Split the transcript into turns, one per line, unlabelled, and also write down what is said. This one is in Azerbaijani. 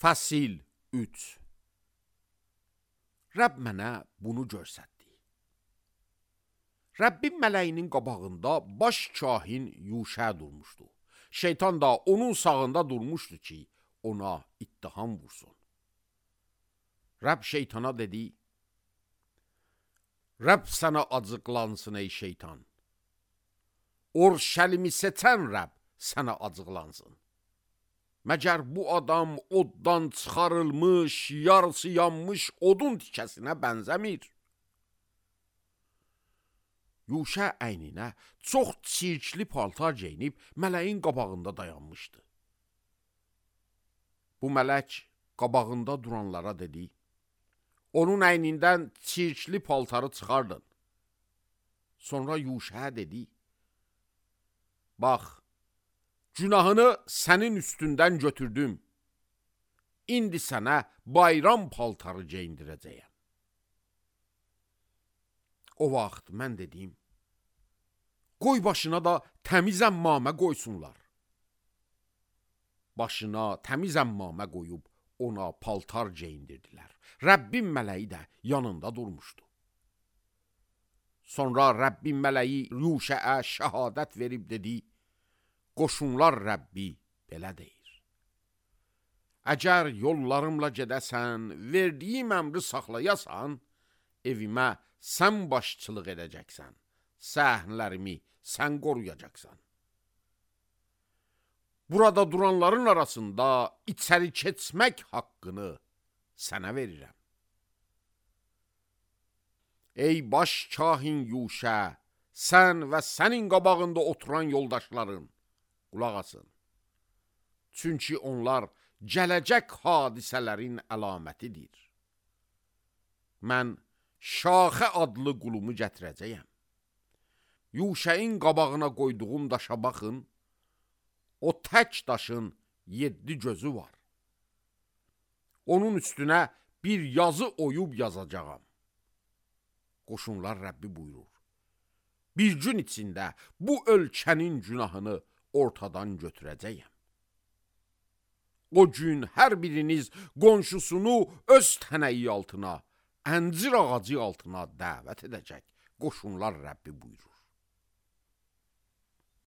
Fəsil 3. Rəbb mənə bunu göstərdi. Rəbbin mələyinin qabağında baş kahin Yuşə durmuşdu. Şeytan da onun sağında durmuşdu ki, ona ittiham vursun. Rəbb şeytana dedi, Rəbb sənə acıqlansın ey şeytan. Orşəlimi seçən Rəbb sənə acıqlansın. Məgər bu adam oddan çıxarılmış, yarısı yanmış odun tikəsinə bənzəmir. Yuşə əyninə çox çirkli paltar geyinib mələyin qabağında dayanmışdı. Bu mələk qabağında duranlara dedi, onun əynindən çirkli paltarı çıxardın. Sonra Yuşə dedi, bax, günahını sənin üstündən götürdüm. İndi sənə bayram paltarı geyindirəcəyəm. O vaxt mən dedim, qoy başına da təmiz əmmamə qoysunlar. Başına təmiz əmmamə qoyub ona paltar geyindirdilər. Rəbbin mələyi də yanında durmuşdu. Sonra Rəbbin mələyi Yuşəə şəhadət verib dedi, qoşunlar Rəbbi belə deyir. Əgər yollarımla gedəsən, verdiyim əmri saxlayasan, evimə sən başçılıq edəcəksən, səhnlərimi sən qoruyacaqsan. Burada duranların arasında içəri keçmək haqqını sənə verirəm. Ey baş kahin Yuşə, sən və sənin qabağında oturan yoldaşların, qulaq asın. Çünki onlar gələcək hadisələrin əlamətidir. Mən Şaxə adlı qulumu gətirəcəyəm. Yuşəyin qabağına qoyduğum daşa baxın, o tək daşın 7 gözü var. Onun üstünə bir yazı oyub yazacağam. Qoşunlar Rəbbi buyurur. Bir gün içində bu ölkənin günahını ortadan götürəcəyəm. O gün hər biriniz qonşusunu öz tənəyi altına, əncir ağacı altına dəvət edəcək. Qoşunlar Rəbbi buyurur.